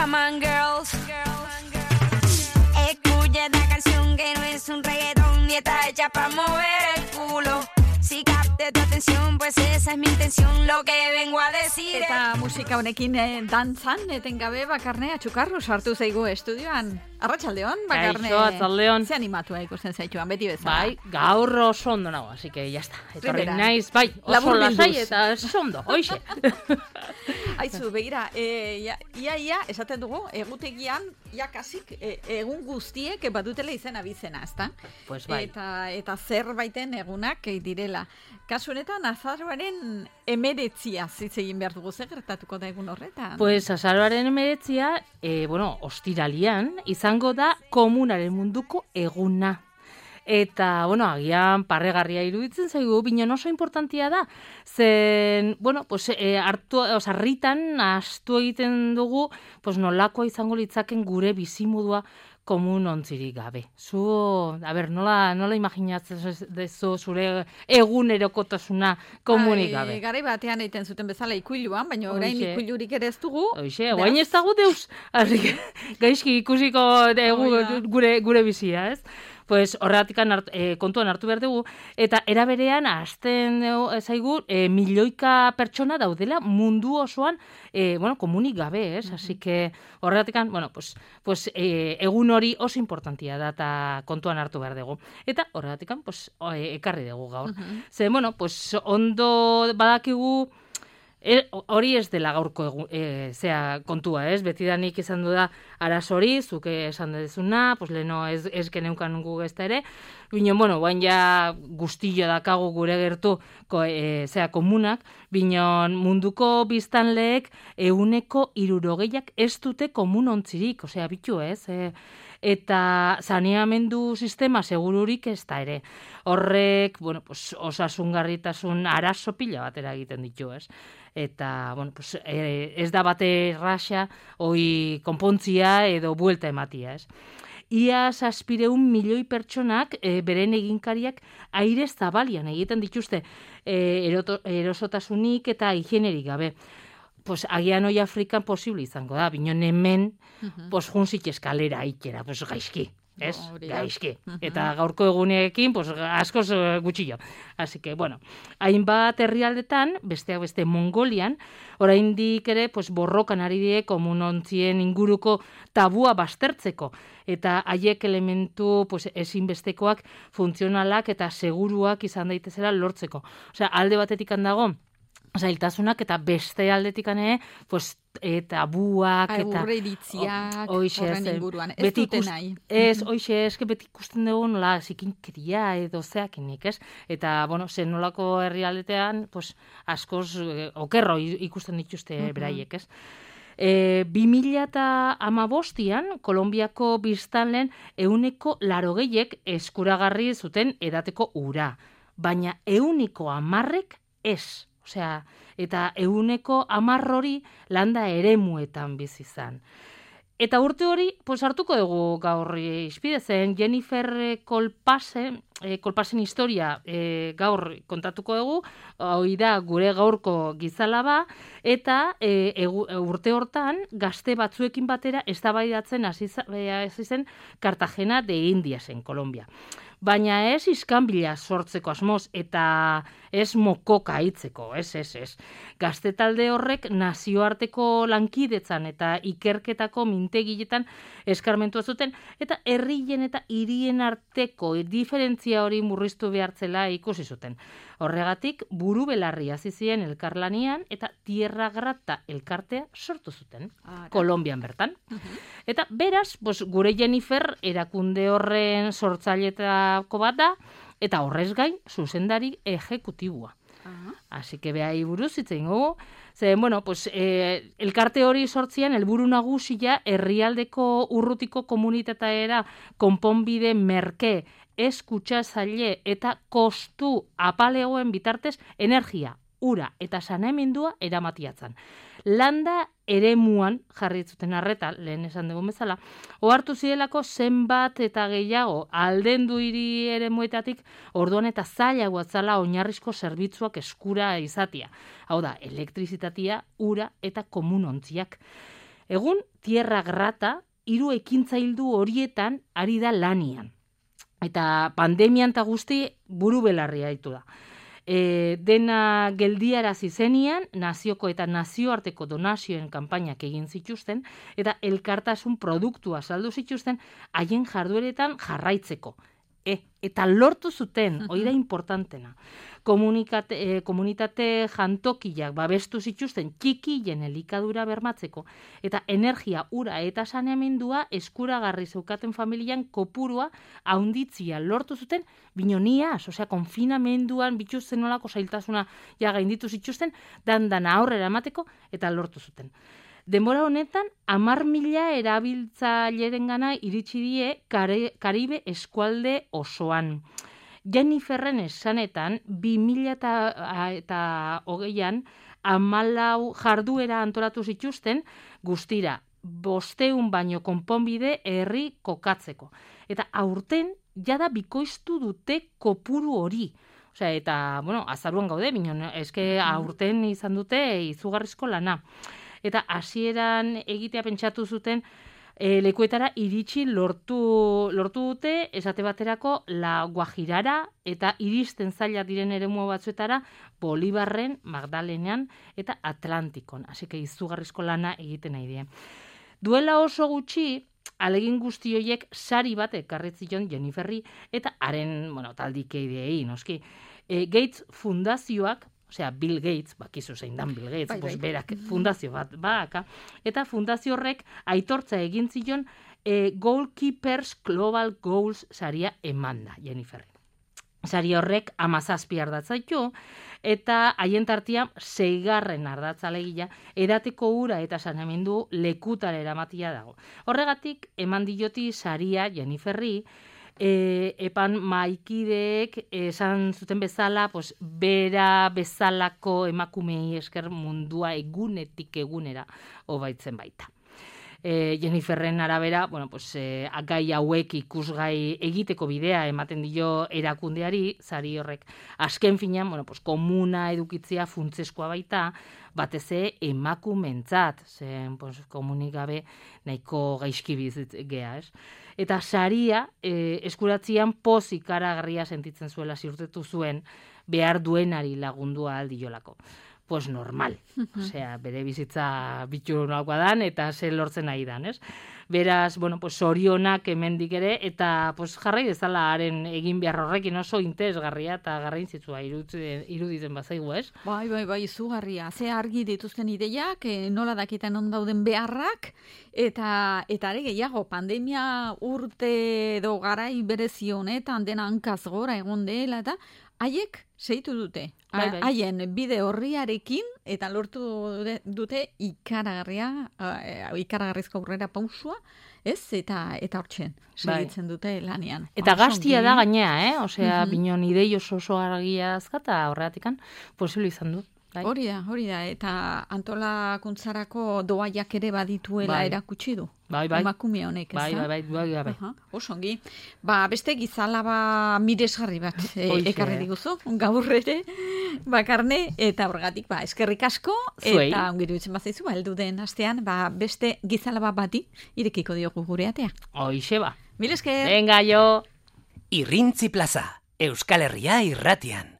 Come on, girls. Escucha esta canción que no es un reggaetón y está hecha para mover el culo. Si capte tu atención, pues esa es mi intención, lo que vengo a decir. Eta musika honekin dantzan, etengabe Bakarne atxukarru sartu zaigu estudioan. Arratsaldeon, Bakarne. Kaixo, arratsaldeon. Ze animatua ikusten zaituan, beti bezala. Bai, gaur oso ondo nago, así que ya está. Etorri Primera. naiz, bai, oso Labur lasai bilduz. eta oso ondo, hoixe. Aizu, begira, ia esaten dugu, egutegian, ja kasik, egun guztiek badutela izena bizena, ezta? Pues bai. Eta zerbaiten egunak direla. Kasu honetan, azaroaren 19 hitz egin behar dugu, zer gertatuko da egun horretan? Pues azaroaren 19, ostiralian, izango da komunaren munduko eguna. Eta, agian parregarria iruditzen zaigu, binen oso importantia da. Zen, harritan astu egiten dugu, nolakoa izango litzaken gure bizimodua komun ontzirik gabe. Nola imaginatzen dezu zure egunerokotasuna komunik gabe? Garai batean egiten zuten bezala ikuiluan, baina orain ikuilurik ere ez dugu. Hoxe, guain ez dago deus. Gaizki ikusiko gure bizia, ez? Pues horregatik kontuan hartu behar dugu, eta eraberean hasten zaigu milioika pertsona daudela mundu osoan komunik gabe, ez? Así que horregatik, egun hori oso importantia da eta kontuan hartu behar dugu. Eta horregatik, ekarri dugu gaur. Ze, ondo badakigu, hori ez dela gaurko kontua, ez? Betidanik izan du da arazori, zuke esan dezuna, leheno ez geneukan gu gezta ere, baina ja guztio dakagu gure gertu komunak, binon munduko biztanleek 60% ez dute komun ontzirik, bitu ez? Eta saneamendu sistema segururik ez da ere. Horrek, osasungarritasun arazo pila batera egiten ditu, ez? Eta, ez da bate erraxa, hoi konpontzia edo buelta ematia, ez? Ia 700 milioi pertsonak beren eginkariak aire zabalian egiten dituzte erosotasunik eta higienerik gabe. Agian hoi Afrikan posible izango da, binon hemen juntzik eskalera ikera, gaizki. Ez? Gaizki. Eta gaurko egunekin, askoz gutxillo. Así que, hainbat herrialdetan, besteak beste Mongolian, oraindik ere, borrokan ari die komunontzien inguruko tabua baztertzeko. Eta haiek elementu ezinbestekoak, funtzionalak eta seguruak izan daitezela lortzeko. Alde batetik handago, zailtasunak eta beste aldetikan tabuak eta aurreiritziak horren inguruan. Ez dute nahi. Ez, beti ikusten dugu nola zikinkeria edo zeakinik, ez? Eta, zen nolako herrialdetean, askoz okerro ikusten dituzte beraiek, ez? 2015an, Kolonbiako biztanleen 80% eskuragarri zuten edateko ura, baina 10% ez. Eta 10% hori landa eremuetan bizi izan. Eta urte hori, hartuko dugu gaur izpide zen, Jennifer Kolpasen historia gaur kontatuko dugu, hori da gure gaurko gizalaba, eta urte hortan gazte batzuekin batera eztabaidatzen hasi zen Cartagena de Indiasen, Kolombia. Baina ez iskanbila sortzeko asmoz eta ez mokoka hitzeko, ez. Gazte talde horrek nazioarteko lankidetzan eta ikerketako mintegiletan eskarmentua zuten eta herrien eta hirien arteko diferentzia hori murriztu behartzela ikusi zuten. Horregatik buru belarri hasi ziren elkarlanian eta Tierra Grata elkartea sortu zuten, Kolonbian bertan. Eta beraz, gure Jennifer erakunde horren sortzaileetako bat da, eta horrez gain zuzendari ejekutiboa. Así que behai buruz hitz egingo. Elkarte hori sortzian helburu nagusia herrialdeko urrutiko komunitateera konponbide merke, eskutsazaile eta kostu apalegoen bitartez energia, ura eta saneamendua eramatiatzen. Landa eremuan jarri zuten arreta, lehen esan dugun bezala, ohartu zirelako zenbat eta gehiago aldendu hiri eremuetatik orduan eta zailagoa zala oinarrizko zerbitzuak eskura izatea. Hau da, elektrizitatea, ura eta komunontziak. Egun, Tierra Grata, 3 ekintzaildu horietan ari da lanian. Eta pandemian eta guzti buru belarria ditu da. Dena geldiarazi zenian, nazioko eta nazioarteko donazioen kanpainak egin zituzten, eta elkartasun produktua saldu zituzten haien jardueretan jarraitzeko. Eta lortu zuten, hori da importantena. Komunitate jantokiak babestu zituzten txikien elikadura bermatzeko, eta energia, ura eta saneamendua eskuragarri zeukaten familian kopurua haunditzia lortu zuten, binoniaz, osea, konfinamenduan bituzten nolako zailtasuna gainditu zituzten, dan aurrera emateko, eta lortu zuten. Denbora honetan, 10.000 erabiltzailerengana iritsi die Karibe eskualde osoan. Jenniferren esanetan, 2020an 14 jarduera antolatu zituzten, guztira 500 baino konponbide herri kokatzeko. Eta aurten, jada bikoiztu dute kopuru hori. Osea, eta, azaruan gaude, eske aurten izan dute izugarrizko lana. Eta hasieran egitea pentsatu zuten lekuetara iritsi lortu dute, esate baterako La Guajirara eta iristen zaila diren eremu batzuetara Bolibarren, Magdalenean eta Atlantikon. Así que izugarrizko lana egiten nahi die. Duela oso gutxi, alegin guzti horiek sari bat ekarri zion Jenniferri eta haren, taldikeideei, noski. Gates Fundazioak, osea, Bill Gates, bakizu zein dan Bill Gates, berak fundazio bat baka, eta fundazio horrek aitortza egin zion Goalkeepers Global Goals saria emanda, Jenniferri. Sari horrek 17 ardatzaitu, eta haien tartia 6. ardatza alegia, edateko ura eta saneamendu lekutara eramatia dago. Horregatik, eman dioti saria Jenniferri, epan maikideek esan zuten bezala, bera bezalako emakumei esker mundua egunetik egunera hobaitzen baita. Jenniferren arabera, gai hauek ikusgai egiteko bidea ematen dio erakundeari, sari horrek azken finean, komuna edukitzea funtzeskoa baita, batez emakumentzat, zen komunikabe nahiko gaizki bizitgea, ez? Eta saria eskuratzian pozik ikaragarria sentitzen zuela ziurtetu zuen behar duenari lagundua aldiolako. Pues normal, osea, bere bizitza bitxunakoa dan eta ze lortzen nahi dan, ez? Beraz, zorionak hemendik ere, eta jarrai dezala haren egin behar horrekin oso interesgarria eta garrantzitsua iruditzen bazaigu, ez? Bai, izugarria. Ze argi dituzten ideiak, nola dakitan on dauden beharrak, eta are gehiago, pandemia urte edo garai berezi honetan dena hankaz gora egon dela, eta haiek seitu dute. Haien bide horriarekin eta lortu dute ikaragarrizko aurrera pausua, ez? Eta hortzen segitzen dute lanean. Eta gaztia da gainea, osea, binon idei oso argia azkata horreatikan posible izan du. Hori da, eta antolakuntzarako doaiak ere badituela erakutsi du. Emakume honek, ez da? Bai. Osongi. Beste gizalaba miresgarri bat ekarri diguzu, gaur ere, bakarne, eta horregatik, eskerrik asko, eta ongiru itzen bazaizu, heldu den astean, beste gizalaba bati irekiko diogu gure atea. Hoixe ba. Mil esker. Venga, jo. Irrintzi Plaza, Euskal Herria irratian.